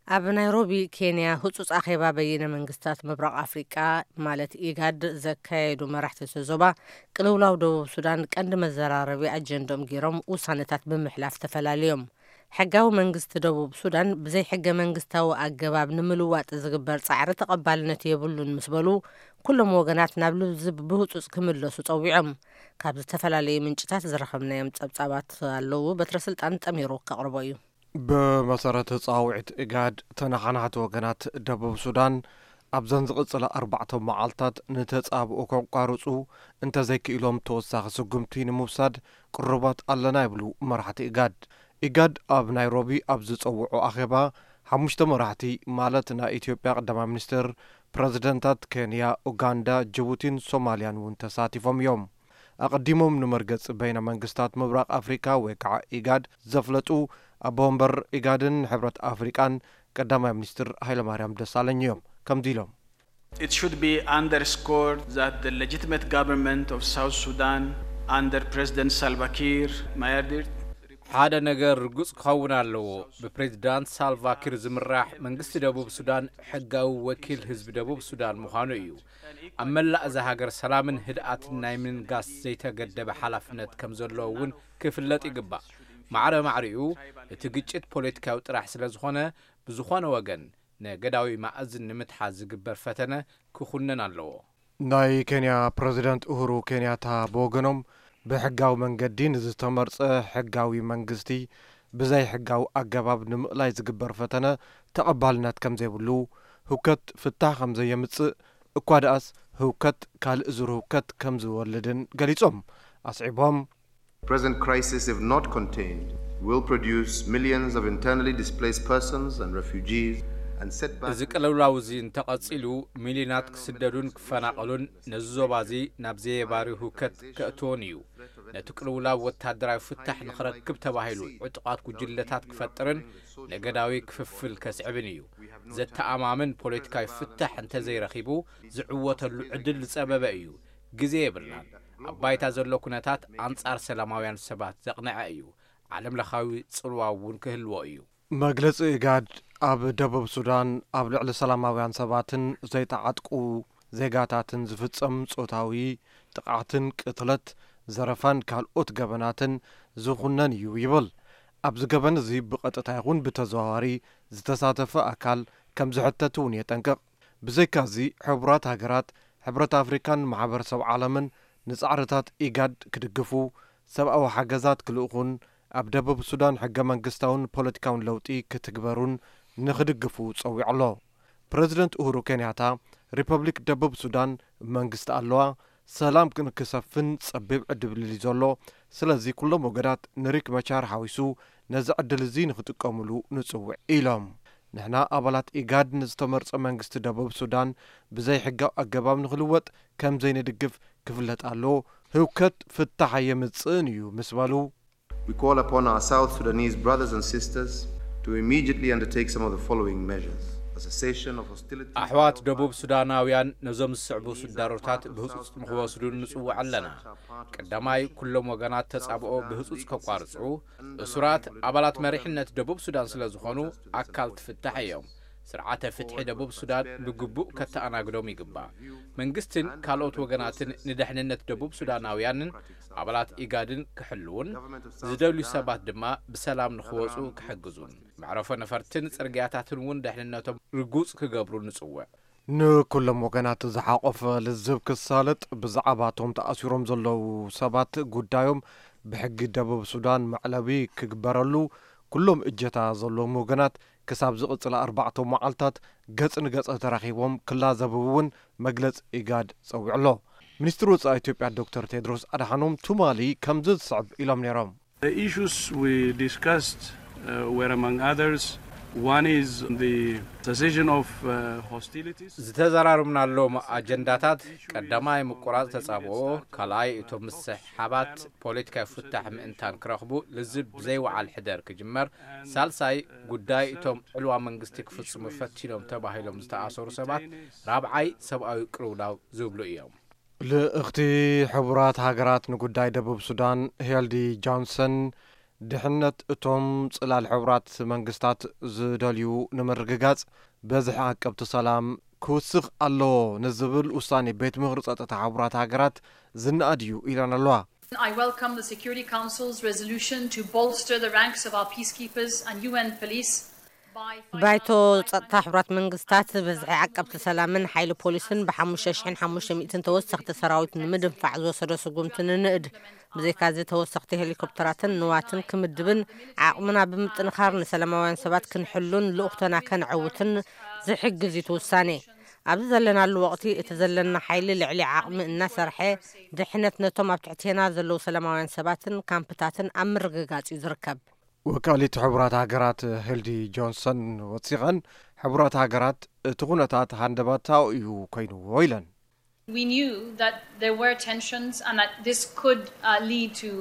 ኣብ ናይሮቢ ኬንያ ህጹጽ ኣኼባ በይነ መንግስታት ምብራቕ ኣፍሪቃ ማለት ኢጋድ ዘካየዱ መራሕቲ እቲ ዞባ፣ ቅልውላው ደቡብ ሱዳን ቀንዲ መዘራረቢ ኣጀንዶም ገይሮም ውሳነታት ብምሕላፍ ተፈላለዮም። ሕጋዊ መንግስቲ ደቡብ ሱዳን ብዘይ ሕገ መንግስታዊ ኣገባብ ንምልዋጥ ዝግበር ጻዕሪ ተቐባልነት የብሉን ምስ በሉ፣ ኩሎም ወገናት ናብ ልዝብ ብህጹጽ ክምለሱ ጸዊዖም። ካብ ዝተፈላለዩ ምንጭታት ዝረኸብናዮም ጸብጻባት ኣለዉ። በትረ ስልጣን ጠሚሩ ከቕርቦ እዩ። ብመሰረት ጻውዒት ኢጋድ፣ ተነሓናሕቲ ወገናት ደቡብ ሱዳን ኣብዘን ዝቕጽላ ኣርባዕተ መዓልታት ንተጻብኦ ከቋርጹ እንተዘይክኢሎም፣ ተወሳኺ ስጉምቲ ንምውሳድ ቅሩባት ኣለና ይብሉ መራሕቲ ኢጋድ። ኢጋድ ኣብ ናይሮቢ ኣብ ዝጸውዖ ኣኼባ፣ ሓሙሽተ መራሕቲ ማለት ናይ ኢትዮጵያ ቀዳማይ ሚኒስትር፣ ፕረዚደንታት ኬንያ፣ ኡጋንዳ፣ ጅቡቲን ሶማልያን እውን ተሳቲፎም እዮም። ኣቐዲሞም ንመርገጺ በይነ መንግስታት ምብራቕ ኣፍሪካ ወይ ከዓ ኢጋድ ዘፍለጡ ኣቦ ወንበር ኢጋድን ሕብረት ኣፍሪቃን ቀዳማይ ሚኒስትር ሃይለማርያም ደሳለኝ እዮም። ከምዚ ኢሎም። It should be underscored that the legitimate government of South Sudan under President Salva Kiir Mayardit ሓደ ነገር ርጉጽ ክኸውን ኣለዎ። ብፕሬዚዳንት ሳልቫኪር ዝምራሕ መንግስቲ ደቡብ ሱዳን ሕጋዊ ወኪል ህዝቢ ደቡብ ሱዳን ምዃኑ እዩ። ኣብ መላእ እዛ ሃገር ሰላምን ህድኣትን ናይ ምንጋስ ዘይተገደበ ሓላፍነት ከም ዘለዎ እውን ክፍለጥ ይግባእ። ማዕረ ማዕሪኡ እቲ ግጭት ፖለቲካዊ ጥራሕ ስለ ዝኾነ፣ ብዝኾነ ወገን ነገዳዊ ማእዝን ንምትሓዝ ዝግበር ፈተነ ክኹነን ኣለዎ። ናይ ኬንያ ፕረዚደንት ኡሁሩ ኬንያታ ብወገኖም፣ ብሕጋዊ መንገዲ ንዝተመርጸ ሕጋዊ መንግስቲ ብዘይ ሕጋዊ ኣገባብ ንምእላይ ዝግበር ፈተነ ተቐባልነት ከም ዘይብሉ፣ ህውከት ፍታሕ ከም ዘየምጽእ፣ እኳ ደኣስ ህውከት ካልእ ዙር ህውከት ከም ዝወልድን ገሊጾም። ኣስዒቦም፣ Present crisis, if not contained, will produce millions of internally displaced persons and refugees and set back እዚ ቅልውላው እዚ እንተቐጺሉ፣ ሚልዮናት ክስደዱን ክፈናቐሉን፣ ነዚ ዞባ እዚ ናብ ዘየባሪ ህውከት ከእትዎን እዩ። ነቲ ቅልውላው ወታደራዊ ፍታሕ ንኽረክብ ተባሂሉ ዕጡቓት ጉጅለታት ክፈጥርን ነገዳዊ ክፍፍል ከስዕብን እዩ። ዘተኣማምን ፖለቲካዊ ፍታሕ እንተዘይረኺቡ፣ ዝዕወተሉ ዕድል ዝጸበበ እዩ። ግዜ የብልናን። ኣብ ባይታ ዘሎ ኩነታት ኣንጻር ሰላማውያን ሰባት ዘቕንዐ እዩ። ዓለም ለኻዊ ጽልዋ እውን ክህልዎ እዩ። መግለጺ ኢጋድ፣ ኣብ ደቡብ ሱዳን ኣብ ልዕሊ ሰላማውያን ሰባትን ዘይተዓጥቁ ዜጋታትን ዝፍጸም ጾታዊ ጥቕዓትን ቅትለት፣ ዘረፋን ካልኦት ገበናትን ዝኹነን እዩ ይብል። ኣብዚ ገበን እዚ ብቐጥታ ይኹን ብተዘዋዋሪ ዝተሳተፈ ኣካል ከም ዝሕተት እውን የጠንቅቕ። ብዘይካዚ፣ ሕቡራት ሃገራት፣ ሕብረት ኣፍሪካን ማሕበረሰብ ዓለምን ንጻዕርታት ኢጋድ ክድግፉ፣ ሰብኣዊ ሓገዛት ክልእኹን ኣብ ደቡብ ሱዳን ሕገ መንግስታውን ፖለቲካውን ለውጢ ክትግበሩን ንኽድግፉ ጸዊዑ ኣሎ። ፕረዚደንት ኡሁሩ ኬንያታ፣ ሪፐብሊክ ደቡብ ሱዳን መንግስቲ ኣለዋ፣ ሰላም ክንክሰፍን ጸቢብ ዕድል እዩ ዘሎ፣ ስለዚ ኩሎም ወገናት ንሪክ መቻር ሓዊሱ ነዚ ዕድል እዚ ንኽጥቀሙሉ ንጽውዕ ኢሎም። ንሕና ኣባላት ኢጋድ ንዝተመርጸ መንግስቲ ደቡብ ሱዳን ብዘይ ሕጋዊ ኣገባብ ንኽልወጥ ከም ዘይንድግፍ ክፍለጥ ኣለዎ። ህውከት ፍታሕ ኣየምጽእን እዩ ምስ በሉ፣ We call upon our South Sudanese brothers and sisters to immediately undertake some of the following measures: a cessation of hostilities. ኣሕዋት ደቡብ ሱዳናውያን ነዞም ዝስዕቡ ስዳሮታት ብህጹጽ ንኽወስዱ ንጽውዕ ኣለና። ቀዳማይ፣ ኩሎም ወገናት ተጻብኦ ብህጹጽ ከቋርጹ፣ እሱራት ኣባላት መሪሕነት ደቡብ ሱዳን ስለ ዝኾኑ ኣካል ትፍታሕ እዮም። ስርዓተ ፍትሒ ደቡብ ሱዳን ብግቡእ ከተኣናግዶም ይግባእ። መንግስትን ካልኦት ወገናትን ንደሕንነት ደቡብ ሱዳናውያንን ኣባላት ኢጋድን ክሕልዉን፣ ዝደልዩ ሰባት ድማ ብሰላም ንኽወጹ ክሕግዙን፣ መዕረፎ ነፈርትን ጽርግያታትን እውን ደሕንነቶም ርጉጽ ክገብሩ ንጽውዕ። ንኩሎም ወገናት ዝሓቆፈ ልዝብ ክሳለጥ፣ ብዛዕባ እቶም ተኣሲሮም ዘለዉ ሰባት ጉዳዮም ብሕጊ ደቡብ ሱዳን መዕለቢ ክግበረሉ፣ ኩሎም እጀታ ዘለዎም ወገናት ክሳብ ዝቕጽላ ኣርባዕተ መዓልታት ገጽ ንገጽ ተራኺቦም ክላዘቡ እውን መግለጺ ኢጋድ ጸዊዑ ኣሎ። ሚኒስትሪ ወጻኢ ኢትዮጵያ ዶክተር ቴድሮስ ኣድሓኖም ትማሊ ከምዚ ዝስዕብ ኢሎም ነይሮም። The issues we discussed, uh, were, among others, one is the cessation of, uh, hostilities. ዝተዘራረብናሎም ኣጀንዳታት፣ ቀዳማይ ምቁራጽ ተጻብኦ፣ ካልኣይ እቶም ምስሕሓባት ፖለቲካዊ ፍታሕ ምእንታን ክረኽቡ ልዝብ ብዘይወዓል ሕደር ክጅመር፣ ሳልሳይ ጉዳይ እቶም ዕልዋ መንግስቲ ክፍጽሙ ፈቲኖም ተባሂሎም ዝተኣሰሩ ሰባት፣ ራብዓይ ሰብኣዊ ቅልውላው ዝብሉ እዮም። ልእኽቲ ሕቡራት ሃገራት ንጉዳይ ደቡብ ሱዳን ሄልዲ ጆንሰን ድሕነት እቶም ጽላል ሕቡራት መንግስታት ዝደልዩ ንምርግጋጽ፣ በዝሒ ዓቀብቲ ሰላም ክውስኽ ኣለዎ ንዝብል ውሳኔ ቤት ምኽሪ ጸጥታ ሕቡራት ሃገራት ዝነኣድ እዩ ኢለን ኣለዋ። I welcome the Security Council's resolution to bolster the ranks of our peacekeepers and U N police by ባይቶ ጸጥታ ሕቡራት መንግስታት ብዝሒ ዓቀብቲ ሰላምን ሓይሊ ፖሊስን ብሓሙሽተ ሽሕን ሓሙሽተ ሚእትን ተወሰኽቲ ሰራዊት ንምድንፋዕ ዝወሰዶ ስጉምቲ ንንእድ። ብዘይካዚ ተወሰኽቲ ሄሊኮፕተራትን ንዋትን ክምድብን ዓቕምና ብምጥንኻር ንሰላማውያን ሰባት ክንሕሉን ልኡኽቶና ከነዕውትን ዝሕግዝ እዩ እቲ ውሳኔ። ኣብዚ ዘለናሉ ወቕቲ እቲ ዘለና ሓይሊ ልዕሊ ዓቕሚ እናሰርሐ ድሕነት ነቶም ኣብ ትሕቴና ዘለዉ ሰላማውያን ሰባትን ካምፕታትን ኣብ ምርግጋጽ እዩ ዝርከብ። ወካሊት ሕቡራት ሃገራት ሄልዲ ጆንሰን ወሲኸን፣ ሕቡራት ሃገራት እቲ ኩነታት ሃንደበታዊ እዩ ኮይንዎ ኢለን። We knew that there were tensions and that this could uh, lead to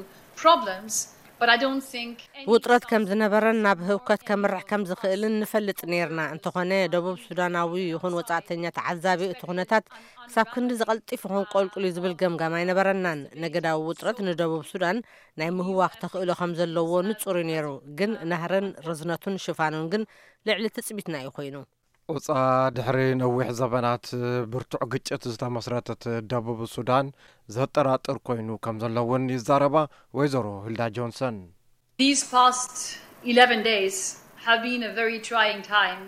problems, but I don't think any ውጥረት ከም ዝነበረን ናብ ህውከት ከምርሕ ከም ዝኽእልን ንፈልጥ ነይርና። እንተኾነ ደቡብ ሱዳናዊ ይኹን ወጻእተኛ ተዓዛቢ እቲ ኩነታት ክሳብ ክንዲ ዝቐልጢፍ ይኹን ቆልቁል እዩ ዝብል ገምጋም ኣይነበረናን። ነገዳዊ ውጥረት ንደቡብ ሱዳን ናይ ምህዋኽ ተኽእሎ ከም ዘለዎ ንጹር እዩ ነይሩ፣ ግን ናህርን ርዝነቱን ሽፋኑን ግን ልዕሊ ትጽቢትና እዩ ኮይኑ። ቁጻ ድሕሪ ነዊሕ ዘበናት ብርቱዕ ግጭት ዝተመስረተት ደቡብ ሱዳን ዘጠራጥር ኮይኑ ከም ዘሎ እውን ይዛረባ ወይዘሮ ሂልዳ ጆንሰን። These past eleven days have been a very trying time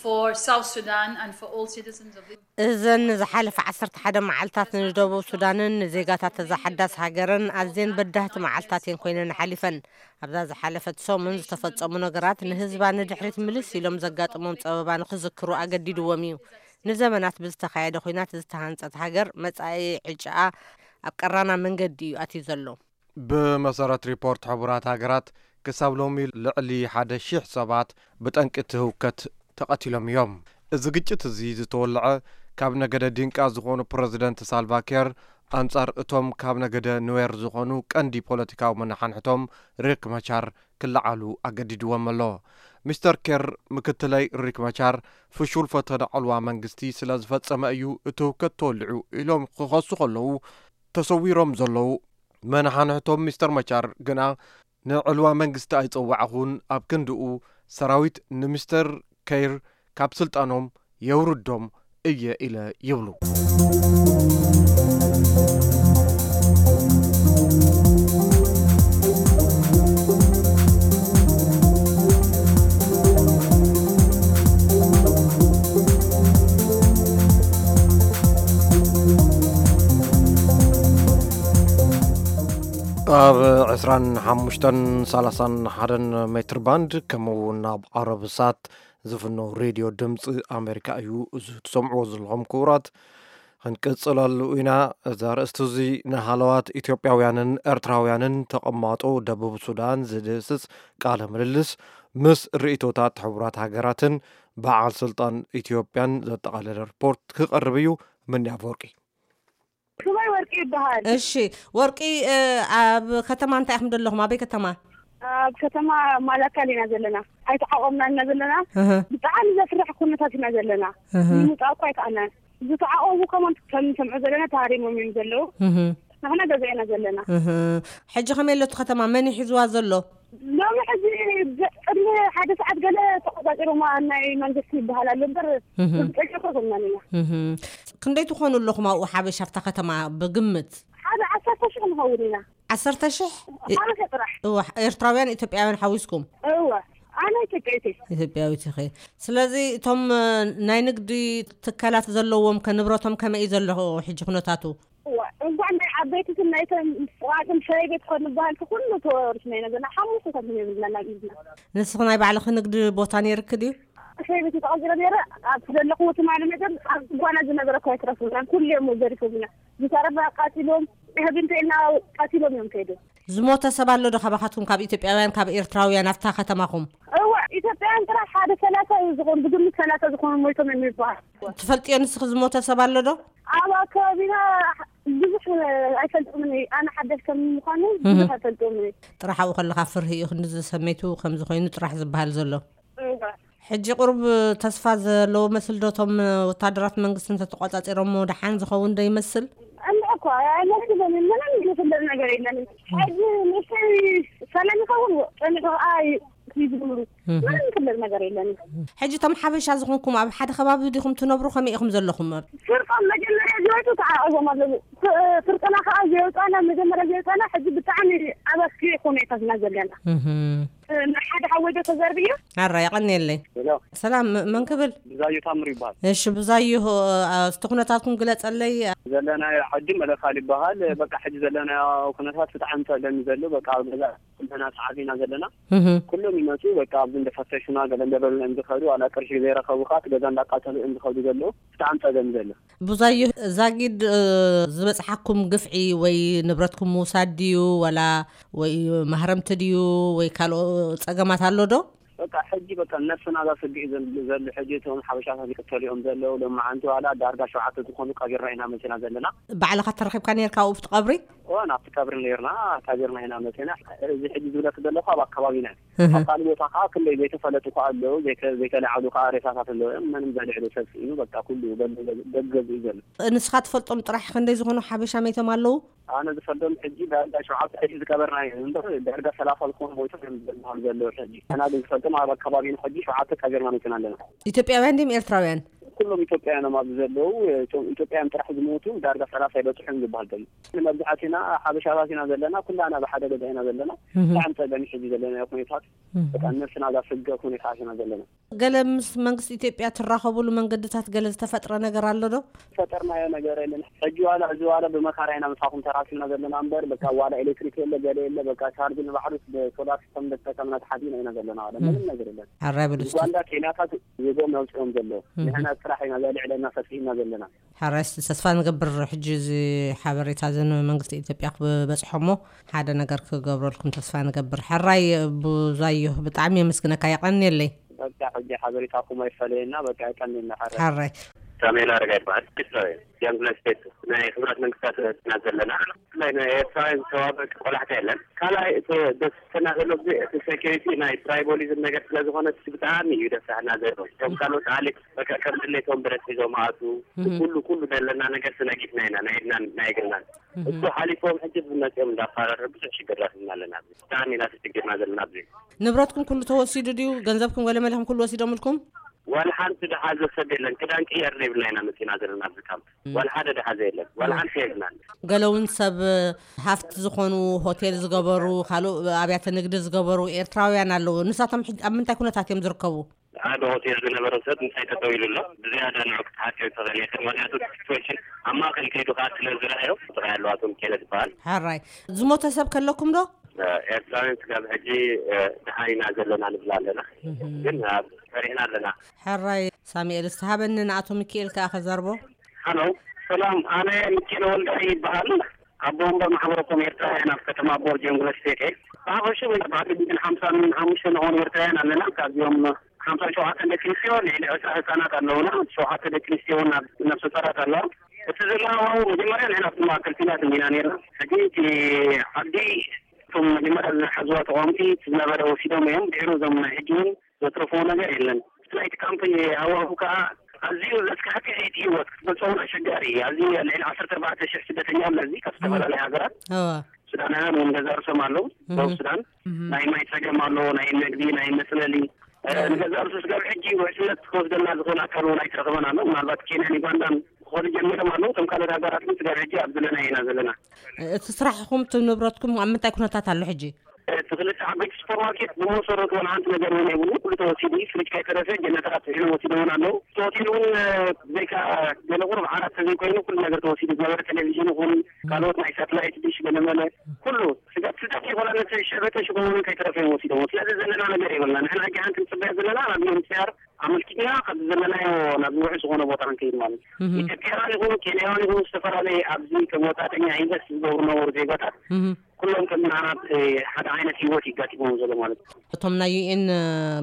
for South Sudan and for all citizens of this እዘን ዝሓለፈ ዓሰርተ ሓደ መዓልታት ንደቡብ ሱዳንን ንዜጋታት እዛ ሓዳስ ሃገርን ኣዝየን በዳህቲ መዓልታት እየን ኮይነን ሓሊፈን። ኣብዛ ዝሓለፈት ሰሙን ዝተፈጸሙ ነገራት ንህዝባ ንድሕሪት ምልስ ኢሎም ዘጋጥሞም ጸበባ ንኽዝክሩ ኣገዲድዎም እዩ። ንዘመናት ብዝተኻየደ ኲናት ዝተሃንጸት ሃገር መጻኢ ዕጫኣ ኣብ ቀራና መንገዲ እዩ ኣትዩ ዘሎ። ብመሰረት ሪፖርት ሕቡራት ሃገራት፣ ክሳብ ሎሚ ልዕሊ ሓደ ሺሕ ሰባት ብጠንቂ እቲ ህውከት ተቐቲሎም እዮም። እዚ ግጭት እዚ ዝተወልዐ፣ ካብ ነገደ ዲንቃ ዝኾኑ ፕረዚደንት ሳልቫኪር ኣንጻር እቶም ካብ ነገደ ኑዌር ዝኾኑ ቀንዲ ፖለቲካዊ መናሓንሕቶም ሪክ መቻር ክለዓሉ ኣገዲድዎም ኣሎ። ሚስተር ኬር፣ ምክትለይ ሪክ መቻር ፍሹል ፈተነ ዕልዋ መንግስቲ ስለ ዝፈጸመ እዩ እቲ ህውከት ተወሊዑ ኢሎም ክኸሱ ከለዉ፣ ተሰዊሮም ዘለዉ መናሓንሕቶም ሚስተር መቻር ግና ንዕልዋ መንግስቲ ኣይጸዋዕኹን፣ ኣብ ክንድኡ ሰራዊት ንሚስተር ከይር ካብ ስልጣኖም የውርዶም እየ ኢለ ይብሉ። ኣብ ዕስራን ሓሙሽተን ሰላሳን ሓደን ሜትር ባንድ፣ ከምኡ እውን ኣብ ዓረብ ሳት ዝፍኖ ሬድዮ ድምፂ ኣሜሪካ እዩ። እዚ ትሰምዕዎ ዘለኹም ክቡራት፣ ክንቅፅለሉ ኢና። እዚ ኣርእስቲ እዚ ንሃለዋት ኢትዮጵያውያንን ኤርትራውያንን ተቐማጦ ደቡብ ሱዳን ዝድህስስ ቃለ ምልልስ ምስ ርእይቶታት ሕቡራት ሃገራትን በዓል ስልጣን ኢትዮጵያን ዘጠቓለለ ሪፖርት ክቐርብ እዩ። ምንያ ኣፈወርቂ። ስመይ ወርቂ ይበሃል። እሺ ወርቂ፣ እ፣ ኣብ ከተማ እንታይ ኢኹም ዘለኹም? ኣበይ ከተማ? ኣብ ከተማ ማላካል ኢና ዘለና። ኣይተዓቆብናን ኢና ዘለና። እህ። ብጣዕሚ ዘፍርሕ ኩነታት ኢና ዘለና። እህ። ንምውፃእ እኮ ኣይከኣልናን። ዝተዓቆቡ ከማን ከም ንሰምዖ ዘለና ተሃሪሞም እዮም ዘለዉ። እህ። ንሕና ገዛ ኢና ዘለና። እህ። ሕጂ ከመይ ኣሎ እቲ ከተማ? መን እዩ ሒዝዋ ዘሎ? ሎሚ ሕጂ ብ-፣ ቅድሚ ሓደ ሰዓት ገለ ተቆጻጺሮማ ናይ መንግስቲ ይበሃል ኣሎ እምበር እህ። ርግጸኛ እኮ ኣይኮንናን ኢና። እህ። ክንደይ ትኾኑ ኣለኹም ኣብኡ ሓበሻ ኣብታ ከተማ ብግምት? ሓደ ዓሰርተ ሽሕ ንኸውን ኢና። ዓሰርተ ሽሕ? ሓበሻ ጥራሕ። እዋ፣ ኤርትራውያን ኢትዮጵያውያን ሓዊስኩም? እወ፣ ኣነ ኢትዮጵያዊት እየ። ኢትዮጵያዊት ኢኺ። ስለዚ እቶም፣ እ፣ ናይ ንግዲ ትካላት ዘለዎም ከ ንብረቶም ከመይ እዩ ዘሎ ሕጂ ኩነታቱ? እዋ፣ እንኳዕ ናይ ዓበይትትን ናይተን ጥቓጥን ሻሂ ቤት ኮን ንበሃል እቲ ኩሉ ተወሪስና ኢና ዘለና። ሓሙሽተ ሰብ የብልና ናብ ኢድና። ንስኺ ናይ ባዕልኺ ንግዲ ቦታ ነይርኪ ድዩ? ሻሂ ቤት ተቐጺረ ነይረ። ኣብ ዘለኹዎ ትማሊ መጠን ኣብ ጓና ዝነበረ እኳ ኣይትረፉናን። ኩሉ እዮም ዘሪፎምና። ዝተረፈ ኣቃጺሎም፣ ህቢ እንተኢልና ቀቲሎም እዮም ከይዶም። ዝሞተ ሰብ ኣሎ ዶ ካባኻትኩም፣ ካብ ኢትዮጵያውያን፣ ካብ ኤርትራውያን ኣብታ ከተማኹም? እወ፣ ኢትዮጵያውያን ጥራሕ ሓደ ሰላሳ እዩ ዝኾኑ፣ ብግምት ሰላሳ ዝኾኑ ሞይቶም እዮም ይበሃል። ትፈልጥዮ ንስኺ ዝሞተ ሰብ ኣሎ ዶ? ኣብ ኣከባቢና ብዙሕ ኣይፈልጦምን እየ። ኣነ ሓዳሽ ከም ምዃኑ እህ። ብዙሕ ኣይፈልጦምን እየ። ጥራሕ ኣብኡ ከለኻ ፍርሂ እዩ፣ ክንዲ ዝሰመይቱ ከም ዝኾይኑ ጥራሕ ዝበሃል ዘሎ። እወ። ሕጂ ቁሩብ ተስፋ ዘለዎ መስል ዶ? እቶም ወታደራት መንግስቲ እንተተቆጻጺሮሞ ደሓን ዝኸውን ዶ ይመስል? እንዳ እኮ ኣይመስልን፣ ምንም ዝፍለጥ ነገር የለን። ሕጂ ንእሽተይ ሰላም ይኸውን፣ ጸኒሑ ኸዓ ይዝምሩ። ምንም ክልል ነገር የለን። ሕጂ እቶም ሓበሻ ዝኾንኩም ኣብ ሓደ ከባቢ ዲኹም ትነብሩ? ከመይ ኢኹም ዘለኹም? ፍርቆም መጀመርያ ዝወፁ ተዓቐቦም ኣለዉ። ፍርቅና ከዓ ዘየውፃና፣ መጀመርያ ዘየውፃና፣ ሕጂ ብጣዕሚ ኣብ ኣስኪ ኩነታት ኢና ዘለና። ሓደ ሓወይ ዶ ተዘርብዮ? ኣራ፣ የቐንየለይ። ሰላም፣ መን ክብል? ብዛዩ ታምር ይበሃል። እሺ ብዛዩ፣ እስቲ ኩነታትኩም ግለፀለይ። ዘለናዮ ዓዲ መለካል ይበሃል። በቃ ሕጂ ዘለናዮ ኩነታት ብጣዕሚ ፀገም እዩ ዘሎ። በቃ ኣብ ገዛ ኩልና ተዓቢና ዘለና። ኩሎም ይመፁ፣ በቃ ኣብዚ እንደፈተሹና ገለ እንደበሉና እዮም ዝኸዱ። ዋላ ቅርሺ ዘይረኸቡ ከዓ እቲ ገዛ እንዳቃተሉ እዮም ዝኸዱ ዘለዉ። ብጣዕሚ ፀገም ዘሎ። ብዙኣየሁ፣ ዛጊድ ዝበፅሓኩም ግፍዒ ወይ ንብረትኩም ምውሳድ ድዩ፣ ወላ ወይ ማህረምቲ ድዩ፣ ወይ ካልኦ ፀገማት ኣሎ ዶ? በቃ ሕጂ በቃ ነፍስና እዛ ስግኢ ዘሎ ሕጂ እቶም ሓበሻታት ይቅተሉ እዮም ዘለዉ። ሎማዓንቲ ዋላ ዳርጋ ሸውዓተ ዝኾኑ ቀቢርና ኢና መፂና ዘለና። ባዕልኻ ተረኺብካ ነርካ ኣብኡ ኣብቲ ቀብሪ? እወ፣ ናብቲ ቀብሪ ነርና፣ ቀቢርና ኢና መፂና። እዚ ሕጂ ዝብለክ ዘለኹ ኣብ ኣካባቢና እዩ። ኣብ ካልእ ቦታ ከዓ ክንደይ ዘይተፈለጡ ከዓ ኣለዉ፣ ዘይተ- ዘይተለዓሉ ከዓ ሬሳታት ኣለዉ እዮም። ምንም ዘልዕሉ ሰብ ስኢኑ በቃ ኩሉ በሉ ገዝኡ ዘሎ። ንስኻ ትፈልጦም ጥራሕ ክንደይ ዝኾኑ ሓበሻ መይቶም ኣለዉ? ኣነ ዝፈልጦም ሕጂ ዳርጋ ሸውዓተ ሕጂ ዝቀበርና እዩ እምበር ዳርጋ ሰላሳ ዝኾኑ ሞይቶም እዮም ዝበሃል ዘለዉ ሕጂ። ኣና ግን ዝፈልጦም ኣብ ኣካባቢና ሕጂ ሸውዓተ ቀቢርና መፂና ኣለና። ኢትዮጵያውያን ድም ኤርትራውያን? ኩሎም ኢትዮጵያውያን እዮም ኣብዚ ዘለዉ። እቶም ኢትዮጵያውያን ጥራሕ ዝሞቱ ዳርጋ ሰላሳ ይበፅሑ እዮም ዝበሃል ዘሎ። ንመብዛሕትና ሓበሻታት ኢና ዘለና፣ ኩላና ብሓደ ገዛ ኢና ዘለና። ብጣዕሚ ፀገም እዩ ሕጂ ዘለናዮ ኩነታት። በጣም ነፍስና እዛ ስገ ኩነታት ኢና ዘለና። ገለ ምስ መንግስቲ ኢትዮጵያ ትራኸቡሉ መንገድታት ገለ ዝተፈጥረ ነገር ኣሎ ዶ? ፈጠርናዮ ነገር የለን። ሕጂ ዋላ እዚ ዋላ ብመካራ ኢና ምሳኹም ተራሲና ዘለና እምበር በቃ ዋላ ኤሌክትሪክ የለ፣ ገለ የለ። በቃ ቻርጅ ንባዕሉ ብሶላር ሲስተም እንደተጠቀምና ተሓዚና ኢና ዘለና። ዋላ ምንም ነገር የለን። ሓራይ በሉ እስቲ። ዩጋንዳ፣ ኬንያታት ዜጎም ያውፅኦም ዘሎ። ንሕና ስራሕ ኢና ዘልዕለና ፈፂምና ዘለና። ሓራይ እስቲ ተስፋ ንገብር ሕጂ እዚ ሓበሬታ እዚ ንመንግስቲ ኢትዮጵያ ክበፅሖ እሞ ሓደ ነገር ክገብረልኩም ተስፋ ንገብር። ሕራይ ብዙኣየሁ ብጣዕሚ የመስግነካ፣ የቐንየለይ። በቃ ሕጂ ሓበሬታኩም ኣይፈለየና፣ በቃ የቀንየልና። ሓራይ። ሓራይ። ሳሙኤል ኣረጋ ይበሃል። ኤርትራዊ እየ። ጃንግላ ስቴት ናይ ሕቡራት መንግስታት ኢና ዘለና። ብፍላይ ንኤርትራውያን ዝተዋበ ቆላሕታ የለን። ካልኣይ እቲ ደስና ዘሎ ግዜ እቲ ሴኪሪቲ ናይ ትራይቦሊዝም ነገር ስለ ዝኾነ እቲ ብጣዕሚ እዩ ደስና ዘሎ። እቶም ካልኦት ኣሌት በቃ ከም ድሌቶም ብረት ሒዞም ኣቱ ኩሉ ኩሉ ዘለና ነገር ስነጊፍና ኢና ናይ ኢድናን ናይ እግርናን። እሱ ሓሊፎም ሕጂ ብመፅኦም እንዳፋረረ ብዙሕ ሽግር ረኺብና ኣለና። ብጣዕሚ ኢና ተሽግርና ዘለና ኣብዚ። ንብረትኩም ኩሉ ተወሲዱ ድዩ? ገንዘብኩም ገለ መሊኹም ኩሉ ወሲዶምልኩም? ዋላ ሓንቲ ደሓዘ ሰብ የለን። ክዳን ቅየር ዘይብልና ኢና መፂና ዘለና ኣብዚ ካምፕ። ዋላ ሓደ ደሓዘ የለን። ዋላ ሓንቲ የብልናን። ገለ እውን ሰብ ሃፍቲ ዝኾኑ ሆቴል ዝገበሩ፣ ካልእ ኣብያተ ንግዲ ዝገበሩ ኤርትራውያን ኣለዉ። ንሳቶም ሕጂ ኣብ ምንታይ ኩነታት እዮም ዝርከቡ? ሓደ ሆቴል ዝነበረ ሰብ ምሳይ ጠጠው ኢሉ ኣሎ። ብዝያዳ ንዑ ክትሓትዮ ትኽእል ኢኻ። ምኽንያቱ እቲ ሲትዌሽን ኣብ ማእከል ከይዱ ከዓ ስለ ዝረኣዮ ጥራይ ኣለዋ። እቶም ኬለ ዝበሃል። ሓራይ። ዝሞተ ሰብ ከለኩም ዶ? ኤርትራውያን ስጋብ ሕጂ ደሓን ኢና ዘለና ንብል ኣለና። ግን ኣብ ፈሪሕና ኣለና። ሕራይ ሳሙኤል፣ ዝተሃበኒ ንኣቶ ሚኪኤል ከኣ ከዛርቦ። ሃሎ፣ ሰላም፣ ኣነ ሚኪኤል ወልዳይ ይበሃል። ኣቦ ወንበር ማሕበረኮም ኤርትራውያን ኣብ ከተማ ቦርጅ ዩኒቨርሲቲ። ብሓፈሹ ባዕዲ ሓምሳን ሓሙሽተ ንኾኑ ኤርትራውያን ኣለና። ካብዚኦም ሓምሳን ሸውዓተን ደቂ ኣንስትዮ፣ ልዕሊ ዕስራ ህጻናት ኣለዉና። ሸውዓተ ደቂ ኣንስትዮ እውን ኣብ ነፍሰ ጡራት ኣለዋ። እቲ ዘለና ሃዋሁ መጀመርያ ንሕና ኣብ ማእከል ኲናት እንዲና ነርና። ሕጂ እቲ ዓዲ እቶም መጀመርያ ዝሓዝዋ ተቃወምቲ እቲ ዝነበረ ወሲዶም እዮም። ድሕሪ እዞም ናይ ሕጂ እውን ዘትረፍዎ ነገር የለን። እቲ ናይቲ ካምፕ ሃዋሁ ከኣ ኣዝዩ ዘስካሕክሕ እዩ እቲ ህይወት፣ ክትገልጾ እውን ኣሸጋሪ እዩ። ኣዝዩ ልዕሊ ዓሰርተ ኣርባዕተ ሽሕ ስደተኛ ኣሎ እዚ ካብ ዝተፈላለዩ ሃገራት። እዋ። ሱዳናውያን እውን ገዛ ርእሶም ኣለዉ። እህ። ደቡብ ሱዳን። እህ። ናይ ማይ ጸገም ኣሎ፣ ናይ መግቢ፣ ናይ መጽለሊ። እ፣ እህ። ንገዛ ርእሱ ስጋብ ሕጂ ውሕስነት ክወስደልና ዝኽእል ኣካል እውን ኣይተረኽበን ኣሎ። ምናልባት ኬንያን ዩጋንዳን ክኸዱ ጀሚሮም ኣለዉ። እቶም ካልኦት ሃገራት ግን ስጋብ ሕጂ ኣብ ዘለናዮ ኢና ዘለና። እቲ ስራሕኹም፣ እቲ ንብረትኩም ኣብ ምንታይ ኩነታት ኣሎ ሕጂ? እቲ ክልተ ዓበይቲ ሱፐርማርኬት ብመሰረቱ ዋላ ሓንቲ ነገር እውን የብሉ። ኩሉ ተወሲዱ እዩ። ፍሪጅ ከይተረፈ ጀነተራት ስሒሉ ወሲዶምን ኣለዉ። እቲ ሆቴል እውን፣ እ፣ ብዘይካ ገለ ቁሩብ ዓራት ተዘይኮይኑ ኩሉ ነገር ተወሲዱ። ዝነበረ ቴሌቪዥን ይኹን ካልኦት ናይ ሳተላይት ዲሽ ገለመለ ኩሉ ስጋት ስጋት ይኾና ነቲ ሸበተ ሽጎ እውን ከይተረፈ እዮም ወሲዶም። ስለዚ ዘለና ነገር የብልና። ንሕና ሕጂ ሓንቲ ንጽበያ ዘለና ናብዚኦም ሲኣር ኣመልኪትና ካብዚ ዘለናዮ ናብ ውሑስ ዝኾነ ቦታ ክንከይድ ማለት እዩ። እህ። ኢትዮጵያውያን ይኹኑ ኬንያውያን ይኹኑ ዝተፈላለየ ኣብዚ ከም ወጻእተኛ ኢንቨስት ዝገብሩ ነበሩ ዜጋታት እህ። ኩሎም ከም ንዓና ሓደ ዓይነት ህይወት ይጋጥሞም ዘሎ ማለት እዩ። እቶም ናይ ዩ ኤን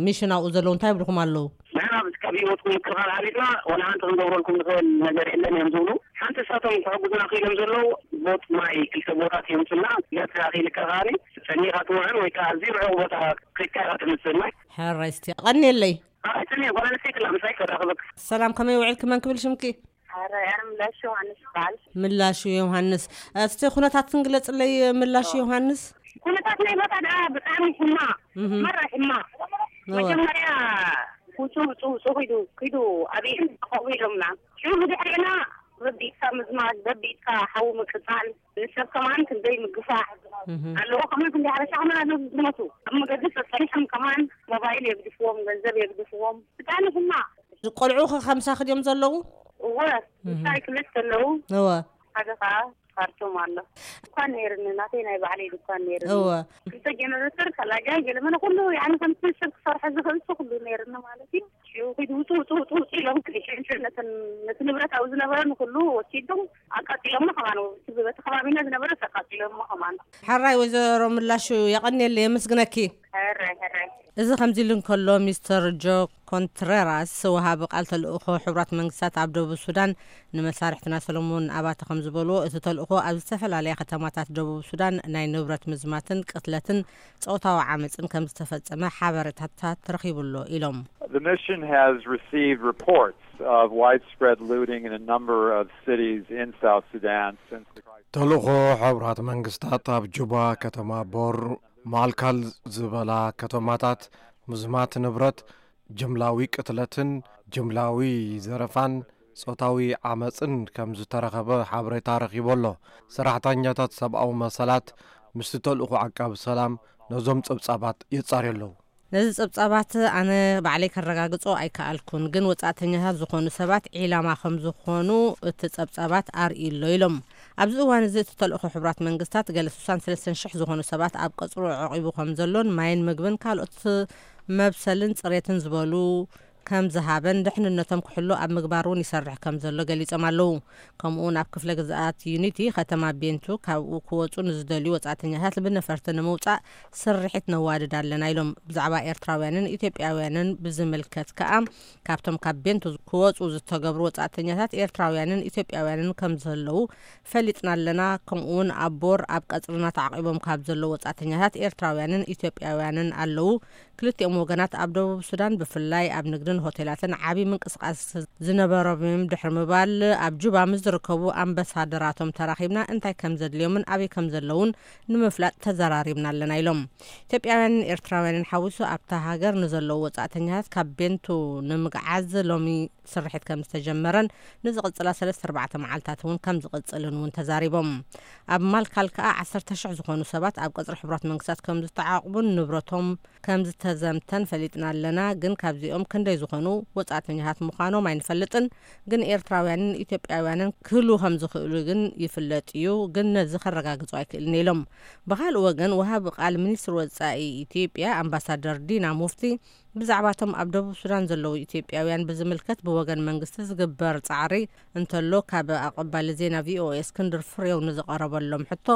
ሚሽን ኣብኡ ዘለዉ እንታይ ይብልኹም ኣለዉ? ንሕና ካብ ህይወትኩም ምክልኻል ሓሊፍና ዋላ ሓንቲ ክንገብረልኩም ንኽእል ነገር የለን እዮም ዝብሉ። ሓንቲ ንሳቶም ክሕግዙና ክኢሎም ዘለዉ ቦጥ ማይ ክልተ ቦጣት የምፁልና። ገጽካ ክኢልካ ከኣ ጸኒኻ ትውዕል ወይ ከዓ ኣዝዩ ርሑቕ ቦታ ከይድካ ኢኻ ትምፅእ ማይ። ሕራይ እስቲ ቀንየለይ። ኣይ፣ ስሚ፣ ጓል ኣንስተይቲ ኣላ፣ ምሳይ ከራኽበክ። ሰላም፣ ከመይ ውዒልኪ? መን ክብል ሽምኪ? ኣረ፣ ኣረ፣ ምላሽ ዮሃንስ ይበሃል። ምላሽ ዮሃንስ። እስቲ ኩነታትን ግለጽለይ፣ ምላሽ ዮሃንስ። ኩነታት ናይ ቦታ ደኣ ብጣዕሚ ሕማቕ፣ እህ። መራ ሕማቕ። እወ። መጀመርያ ውጹ፣ ውጹ፣ ውጹ ኪዱ፣ ኪዱ ኣብየን ተቐቡ ኢሎምና። ሽዑ ብድሕሪና በቢትካ ምዝማዝ፣ በቢትካ ሓዊ ምቅጻል፣ ንሰብ ከማን ክንደይ ምግፋዕ እህ። ኣለዎ። ከማን ክንደይ ሓበሻ ከማን ኣለዉ ዝሞቱ። ኣብ መገዲ ጸጸኒሖም ከማን ሞባይል የግድፍዎም፣ ገንዘብ የግድፍዎም። ብጣዕሚ ሕማቕ። ቆልዑ ከ ከምሳኺ ድዮም ዘለዉ? እወ፣ እህ። ምሳይ ክልተ ኣለዉ። እወ። ሓደ ኸዓ ካርቶም ኣሎ። ድኳን ነይርኒ፣ ናተይ ናይ ባዕለይ ድኳን ነይርኒ። እወ። ክልተ ጀነሬተር፣ ካላጃይ፣ ገለመለ ኩሉ፣ ያኒ ከምቲ ሰብ ክሰርሖ ዝኽእል እሱ ኩሉ ነይርኒ ማለት እዩ። ሽዑ ኪድ ውጡ፣ ውጡ፣ ውጡ፣ ውጡ ኢሎም ክልሽንሽን ነተን፣ ነቲ ንብረት ኣብኡ ዝነበረ ንኩሉ ወሲዶም ኣቃጺሎሞ ከማን፣ በቲ ከባቢና ዝነበረ ኣቃጺሎሞ ከማን። ሕራይ ወይዘሮ ምላሹ፣ የቐንየለይ፣ የመስግነኪ። ሕራይ፣ ሕራይ። እዚ ከምዚ ኢሉ እንከሎ፣ ሚስተር ጆ ኮንትሬራስ፣ ወሃቢ ቃል ተልእኾ ሕቡራት መንግስታት ኣብ ደቡብ ሱዳን፣ ንመሳርሕትና ሰለሞን ኣባተ ከም ዝበልዎ፣ እቲ ተልእኾ ኣብ ዝተፈላለያ ከተማታት ደቡብ ሱዳን ናይ ንብረት ምዝማትን ቅትለትን ጾታዊ ዓመፅን ከም ዝተፈጸመ ሓበሬታታት ረኺቡ ኣሎ ኢሎም። The mission has received reports of widespread looting in a number of cities in South Sudan since the crisis. ተልእኾ ሕቡራት መንግስታት ኣብ ጁባ፣ ከተማ ቦር፣ ማልካል ዝበላ ከተማታት ምዝማት ንብረት፣ ጅምላዊ ቅትለትን ጅምላዊ ዘረፋን ጾታዊ ዓመፅን ከም ዝተረኸበ ሓበሬታ ረኺቡ ኣሎ። ሰራሕተኛታት ሰብኣዊ መሰላት ምስቲ ተልእኾ ዓቃቢ ሰላም ነዞም ጸብጻባት የጻርዩ ኣለዉ። ነዚ ጸብጻባት ኣነ ባዕለይ ከረጋግጾ ኣይከኣልኩን፣ ግን ወጻእተኛታት ዝኾኑ ሰባት ዒላማ ከም ዝኾኑ እቲ ጸብጻባት ኣርእዩ ኣሎ ኢሎም። ኣብዚ እዋን እዚ እቲ ተልእኾ ሕቡራት መንግስታት ገለ ስሳን ሰለስተን ሽሕ ዝኾኑ ሰባት ኣብ ቀጽሩ ኣዕቂቡ ከም ዘሎን ማይን ምግብን ካልኦት መብሰልን ጽሬትን ዝበሉ ከም ዝሃበን ድሕንነቶም ክሕሉ ኣብ ምግባር እውን ይሰርሕ ከም ዘሎ ገሊጾም ኣለዉ። ከምኡ እውን ኣብ ክፍለ ግዝኣት ዩኒቲ ከተማ ቤንቱ ካብኡ ክወጹ ንዝደልዩ ወጻእተኛታት ብነፈርቲ ንምውጻእ ስርሒት ነዋድድ ኣለና ኢሎም። ብዛዕባ ኤርትራውያንን ኢትዮጵያውያንን ብዝምልከት ከኣ ካብቶም ካብ ቤንቱ ክወጹ ዝተገብሩ ወጻእተኛታት ኤርትራውያንን ኢትዮጵያውያንን ከም ዘለዉ ፈሊጥና ኣለና። ከምኡ እውን ኣብ ቦር ኣብ ቀጽርና ተዓቂቦም ካብ ዘለዉ ወጻእተኛታት ኤርትራውያንን ኢትዮጵያውያንን ኣለዉ። ክልቲኦም ወገናት ኣብ ደቡብ ሱዳን ብፍላይ ኣብ ንግድን ሆቴላትን ዓቢ ምንቅስቃስ ዝነበሮም እዮም ድሕሪ ምባል፣ ኣብ ጁባ ምስ ዝርከቡ ኣምባሳደራቶም ተራኺብና እንታይ ከም ዘድልዮምን ኣበይ ከም ዘለዉን ንምፍላጥ ተዘራሪብና ኣለና ኢሎም። ኢትዮጵያውያንን ኤርትራውያንን ሓዊሱ ኣብታ ሃገር ንዘለዉ ወጻእተኛታት ካብ ቤንቱ ንምግዓዝ ሎሚ ስርሒት ከም ዝተጀመረን ንዝቕጽላ ሰለስተ ኣርባዕተ መዓልታት እውን ከም ዝቕጽልን እውን ተዛሪቦም። ኣብ ማልካል ከኣ ዓሰርተ ሽሕ ዝኾኑ ሰባት ኣብ ቀጽሪ ሕቡራት መንግስታት ከም ዝተዓቕቡን ንብረቶም ከም ዝተዘምተን ፈሊጥና ኣለና፣ ግን ካብዚኦም ክንደይ ዝኾኑ ወጻእተኛታት ምዃኖም ኣይንፈልጥን፣ ግን ኤርትራውያንን ኢትዮጵያውያንን ክህልዉ ከም ዝኽእሉ ግን ይፍለጥ እዩ፣ ግን ነዚ ከረጋግጾ ኣይክእልን ኢሎም። ብኻልእ ወገን፣ ወሃቢ ቃል ሚኒስትሪ ወጻኢ ኢትዮጵያ ኣምባሳደር ዲና ሙፍቲ ብዛዕባቶም ኣብ ደቡብ ሱዳን ዘለዉ ኢትዮጵያውያን ብዝምልከት ብወገን መንግስቲ ዝግበር ጻዕሪ እንተሎ፣ ካብ ኣቐባሊ ዜና ቪኦኤ እስክንድር ፍሬው ንዝቐረበሎም ሕቶ፣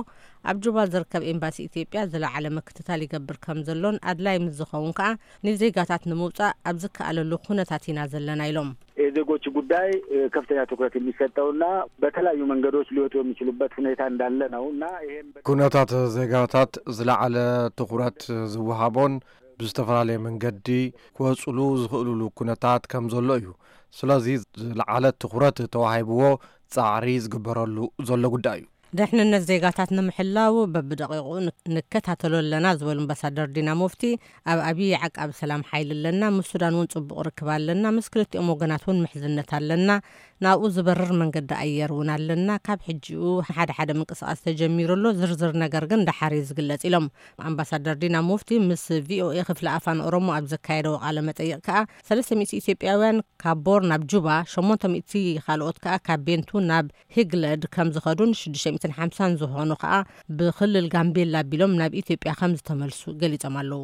ኣብ ጁባ ዝርከብ ኤምባሲ ኢትዮጵያ ዝለዓለ ምክትታል ይገብር ከም ዘሎን ኣድላይ ምስ ዝኸውን ከኣ ንዜጋታት ንምውጻእ ኣብ ዝከኣለሉ ኩነታት ኢና ዘለና ኢሎም። የዜጎች ጉዳይ ከፍተኛ ትኩረት የሚሰጠውና በተለያዩ መንገዶች ሊወጡ የሚችሉበት ሁኔታ እንዳለ ነው እና ይሄም በ- ኩነታት ዜጋታት ዝለዓለ ትኹረት ዝወሃቦን ብዝተፈላለየ መንገዲ ክወጽሉ ዝኽእሉሉ ኩነታት ከም ዘሎ እዩ። ስለዚ ዝለዓለ ትኹረት ተዋሂብዎ ጻዕሪ ዝግበረሉ ዘሎ ጉዳይ እዩ። ድሕንነት ዜጋታት ንምሕላው በብደቂቑ ን- ንከታተሎ ኣለና ዝበሉ ኣምባሳደር ዲና ሙፍቲ፣ ኣብ ኣብዪ ዓቃቢ ሰላም ሓይሊ ኣለና፣ ምስ ሱዳን እውን ጽቡቕ ርክብ ኣለና፣ ምስ ክልቲኦም ወገናት እውን ምሕዝነት ኣለና፣ ናብኡ ዝበርር መንገዲ ኣየር እውን ኣለና፣ ካብ ሕጂኡ ሓደ ሓደ ምንቅስቃስ ተጀሚሩ ኣሎ፣ ዝርዝር ነገር ግን ደሓር እዩ ዝግለጽ ኢሎም። ኣምባሳደር ዲና ሙፍቲ ምስ ቪኦኤ ክፍሊ ኣፋን ኦሮሞ ኣብ ዘካየደዎ ቃለ መጠይቕ ከኣ ሰለስተ ሚእቲ ኢትዮጵያውያን ካብ ቦር ናብ ጁባ፣ ሸሞንተ ሚእቲ ካልኦት ከኣ ካብ ቤንቱ ናብ ሂግለድ ከም ዝኸዱን ሽዱሽተ ሚእትን ሓምሳን ዝኾኑ ከኣ ብክልል ጋምቤላ ኣቢሎም ናብ ኢትዮጵያ ከም ዝተመልሱ ገሊጾም ኣለዉ።